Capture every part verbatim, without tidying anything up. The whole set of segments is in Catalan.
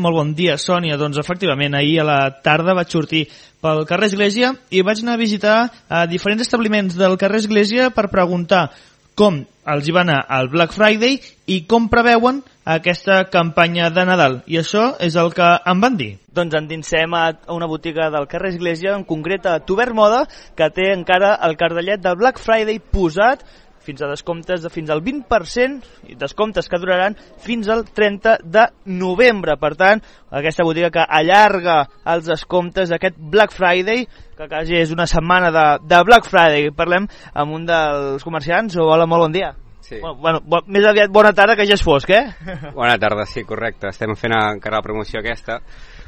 molt bon dia, Sònia. Doncs efectivament, ahir a la tarda vaig sortir pel carrer Església i vaig anar a visitar a diferents establiments del carrer Església per preguntar com els hi va anar al Black Friday i com preveuen aquesta campanya de Nadal. I això és el que em van dir. Doncs endinsem a una botiga del carrer Església, en concret a Tubert Moda, que té encara el cartellet del Black Friday posat, fins a descomptes de fins al vint per cent, i descomptes que duraran fins al trenta de novembre. Per tant, aquesta botiga que allarga els descomptes d'aquest Black Friday, que quasi és una setmana de, de Black Friday. Parlem amb un dels comerciants. Hola, molt bon dia. Sí. Bueno, bueno, bo, més aviat bona tarda, que ja és fosc, eh? Bona tarda, sí, correcte. Estem fent encara la promoció aquesta,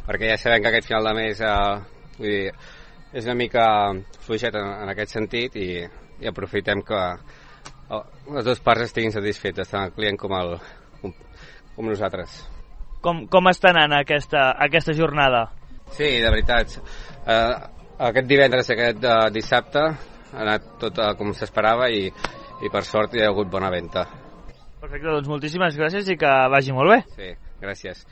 perquè ja sabem que aquest final de mes eh, vull dir, és una mica fluixet en, en aquest sentit, i, i aprofitem que oh, les dues parts estiguin satisfetes, tant el client com, el, com, com nosaltres. Com, com està anant aquesta, aquesta jornada? Sí, de veritat. Eh, aquest divendres i aquest eh, dissabte ha anat tot eh, com s'esperava i, i per sort hi ha hagut bona venda. Perfecte, doncs moltíssimes gràcies i que vagi molt bé. Sí, gràcies.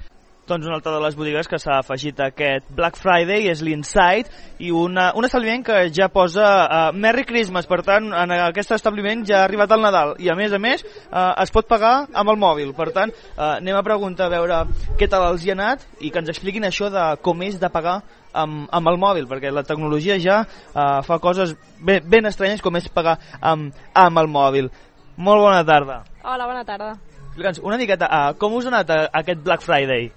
Doncs una altra de les botigues que s'ha afegit a aquest Black Friday és l'Inside, i una, un establiment que ja posa uh, Merry Christmas. Per tant, en aquest establiment ja ha arribat el Nadal i a més a més uh, es pot pagar amb el mòbil. Per tant, uh, anem a preguntar a veure què tal els hi ha anat i que ens expliquin això de com és de pagar amb, amb el mòbil, perquè la tecnologia ja uh, fa coses ben, ben estranyes, com és pagar amb, amb el mòbil. Molt bona tarda. Hola, bona tarda. Explica'ns una miqueta, uh, com us ha anat uh, aquest Black Friday?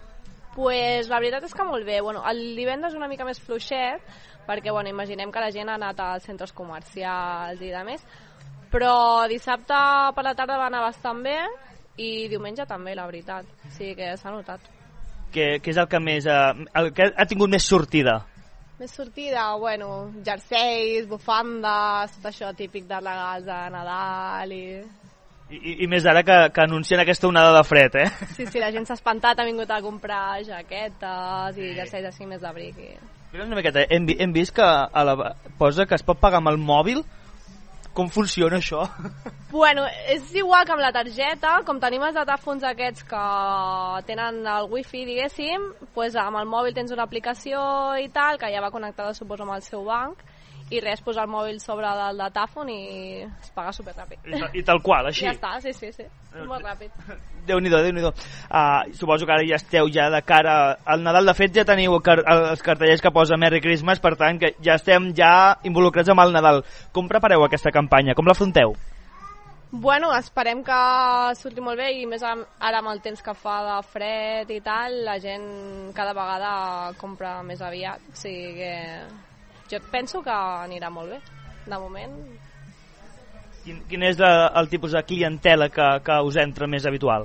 Pues la veritat és que molt bé. Bueno, el divendres una mica més fluixet, perquè bueno, imaginem que la gent ha anat als centres comercials i demés, però dissabte per la tarda va anar bastant bé i diumenge també, la veritat. Sí que s'ha notat. Què, què és el que més uh, el que ha tingut més sortida? Més sortida, bueno, jerseis, bufandes, tot això típic de regals de Nadal i... I, i més ara que, que anuncien aquesta onada de fred, eh? Sí, sí, la gent s'ha espantat, ha vingut a comprar jaquetes i jerseis així més d'abric. I... Una miqueta, hem, hem vist que a la, posa que es pot pagar amb el mòbil. Com funciona això? Bueno, és igual que amb la targeta, com tenim els datàfons aquests que tenen el wifi, diguéssim, pues amb el mòbil tens una aplicació i tal, que ja va connectada, suposo, amb el seu banc, i res, posar el mòbil sobre del datàfon i es paga superràpid. I, I tal qual, així? Ja està, sí, sí, sí, molt ràpid. Déu-n'hi-do, Déu-n'hi-do. Uh, suposo que ara ja esteu ja de cara al Nadal. De fet, ja teniu car els cartellers que posa Merry Christmas, per tant, que ja estem ja involucrats amb el Nadal. Com prepareu aquesta campanya? Com l'afronteu? Bueno, esperem que surti molt bé, i més ara amb el temps que fa de fred i tal, la gent cada vegada compra més aviat, o sigui que... Jo penso que anirà molt bé, de moment. Quin, quin és el, el tipus de clientela que, que us entra més habitual?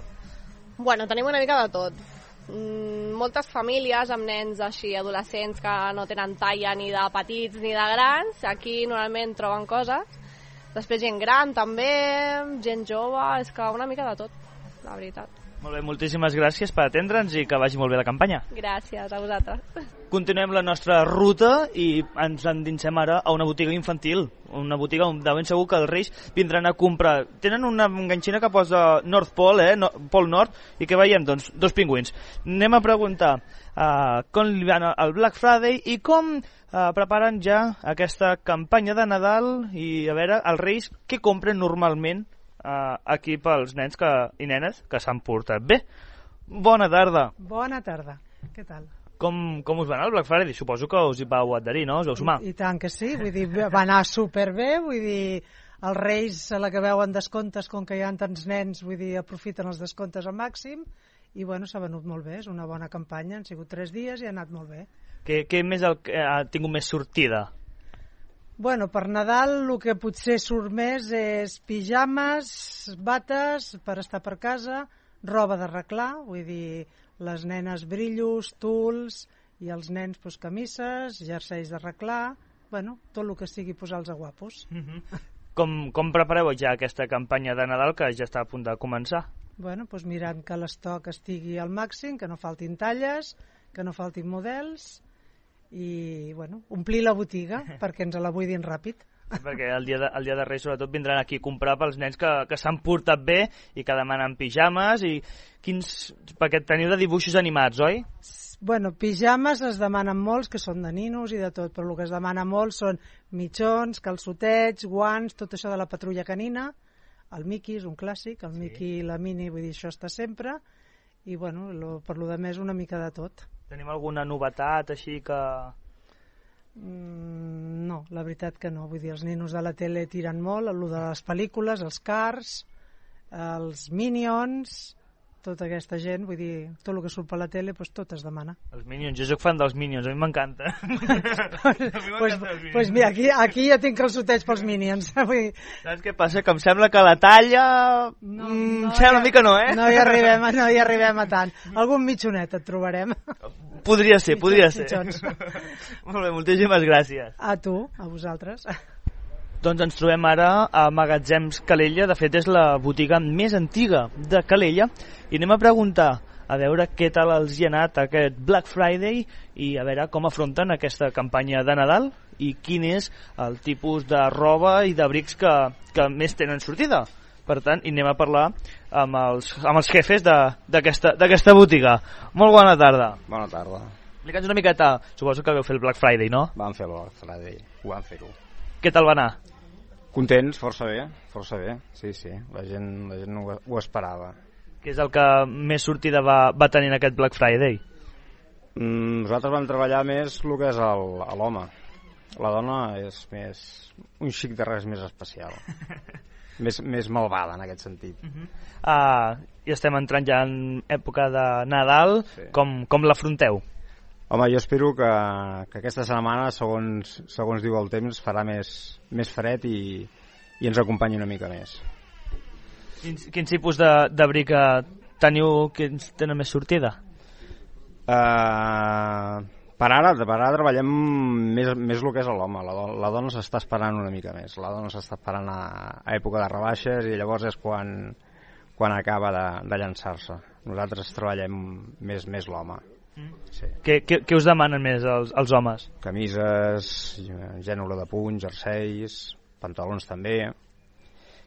Bueno, tenim una mica de tot. Mm, moltes famílies amb nens així, adolescents, que no tenen talla ni de petits ni de grans. Aquí normalment troben coses. Després gent gran també, gent jove, és que una mica de tot, la veritat. Molt bé, moltíssimes gràcies per atendre'ns i que vagi molt bé la campanya. Gràcies a vosaltres. Continuem la nostra ruta i ens endinsem ara a una botiga infantil, una botiga on de ben segur que els Reis vindran a comprar. Tenen una enganxina que posa North Pole, eh? No, Pol Nord, i què veiem? Doncs dos pingüins. Anem a preguntar uh, com li van al Black Friday i com uh, preparen ja aquesta campanya de Nadal, i a veure, els Reis què compren normalment Uh, aquí pels nens que, i nenes que s'han portat bé. Bona tarda. Bona tarda, què tal? Com, com us va anar el Black Friday? Suposo que us hi vau adherir, no? Us vau sumar. I, I tant que sí, vull dir, va anar superbé, vull dir, els Reis a la que veuen descomptes, com que hi ha tants nens, vull dir, aprofiten els descomptes al màxim, i bueno, s'ha venut molt bé, és una bona campanya, han sigut tres dies i ha anat molt bé. Què, què més el, ha tingut més sortida? Bueno, per Nadal el que potser surt més és pijames, bates per estar per casa, roba d'arreglar, vull dir, les nenes brillos, tuls, i els nens pues, camises, jerseis d'arreglar, bueno, tot el que sigui posar-los a guapos. Mm-hmm. com, com prepareu ja aquesta campanya de Nadal que ja està a punt de començar? Bueno, pues mirant que l'estoc estigui al màxim, que no faltin talles, que no faltin models, i bueno, omplir la botiga perquè ens la buidin ràpid. Perquè el dia, de, el dia de Reis sobretot vindran aquí a comprar pels nens que, que s'han portat bé i que demanen pijames i quins... perquè teniu de dibuixos animats, oi? Bueno, pijames es demanen molts, que són de ninos i de tot, però el que es demana molt són mitjons, calçotets, guants, tot això de la patrulla canina, el Mickey és un clàssic, el sí. Mickey i la Minnie, vull dir, això està sempre, i bueno, lo, per lo de més una mica de tot. Tenim alguna novetat així que... Mm, no, la veritat que no, vull dir, els ninos de la tele tiren molt, el de les pel·lícules, els Cars, els Minions... tota aquesta gent, vull dir, tot el que surt per la tele, doncs tot es demana. Els Minions, jo soc fan dels Minions, a mi m'encanta. pues, pues mira, aquí, aquí ja tinc calçotets pels Minions. Vull dir... Saps què passa? Que em sembla que la talla... No, mm, no, sembla ja, una mica no, eh? No hi arribem, no hi arribem a tant. Algun mitjonet et trobarem. Podria ser, podria ser. Mitjons. Molt bé, moltíssimes gràcies. A tu, a vosaltres. Doncs ens trobem ara a Magatzems Calella, de fet és la botiga més antiga de Calella, i anem a preguntar a veure què tal els hi ha anat aquest Black Friday i a veure com afronten aquesta campanya de Nadal i quin és el tipus de roba i d'abrics que, que més tenen sortida. Per tant, i anem a parlar amb els, amb els jefes d'aquesta botiga. Molt bona tarda. Bona tarda. Explica'ns una miqueta, suposo que vau fer el Black Friday, no? Vam fer el Black Friday, ho vam fer-ho. Què tal va anar? Contents, força bé, força bé, sí, sí, la gent, la gent ho, ho esperava. Què és el que més sortida va, va tenir en aquest Black Friday? Mm, nosaltres vam treballar més el que és l'home. La dona és més un xic de res més especial, més, més malvada en aquest sentit. Uh -huh. uh, I estem entrant ja en època de Nadal, sí. com, com l'afronteu? Home, jo espero que, que aquesta setmana, segons, segons diu el temps, farà més, més fred i, i ens acompanyi una mica més. Quins, quins tipus d'abric teniu que tenen més sortida? Uh, per, ara, per ara treballem més, més el que és l'home. La, la dona s'està esperant una mica més. La dona s'està esperant a, a època de rebaixes i llavors és quan, quan acaba de, de llançar-se. Nosaltres treballem més, més l'home. Sí. Què, què, què us demanen més els, els homes? Camises, gènere de puny, jerseis, pantalons també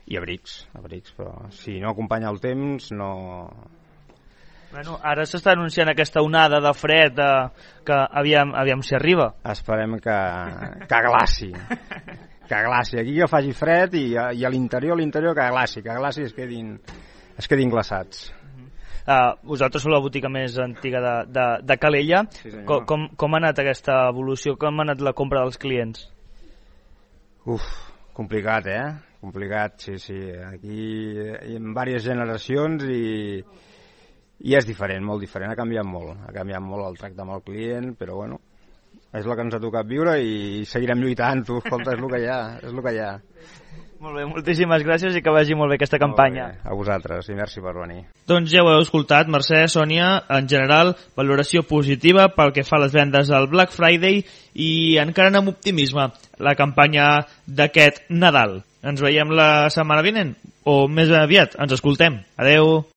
i abrics, abrics, però si no acompanya el temps no... Bueno, ara s'està anunciant aquesta onada de fred de, que aviam, aviam si arriba. Esperem que, que glaci, que glaci, aquí que faci fred i, i a l'interior, a l'interior que glaci, que glaci es quedin, es quedin glaçats. Uh, vosaltres sou la botiga més antiga de, de, de Calella. Sí, com, com, com ha anat aquesta evolució? Com ha anat la compra dels clients? Uf, complicat, eh? Complicat, sí, sí. Aquí hi ha diverses generacions i, i és diferent, molt diferent. Ha canviat molt. Ha canviat molt el tracte amb el client, però bueno, és el que ens ha tocat viure i seguirem lluitant. Tu, escolta, és el que hi ha, és el que hi ha. Molt bé, moltíssimes gràcies i que vagi molt bé aquesta campanya. Bé, a vosaltres i merci per venir. Doncs ja ho heu escoltat, Mercè, Sònia, en general, valoració positiva pel que fa a les vendes al Black Friday i encara amb optimisme la campanya d'aquest Nadal. Ens veiem la setmana vinent o més aviat, ens escoltem. Adeu.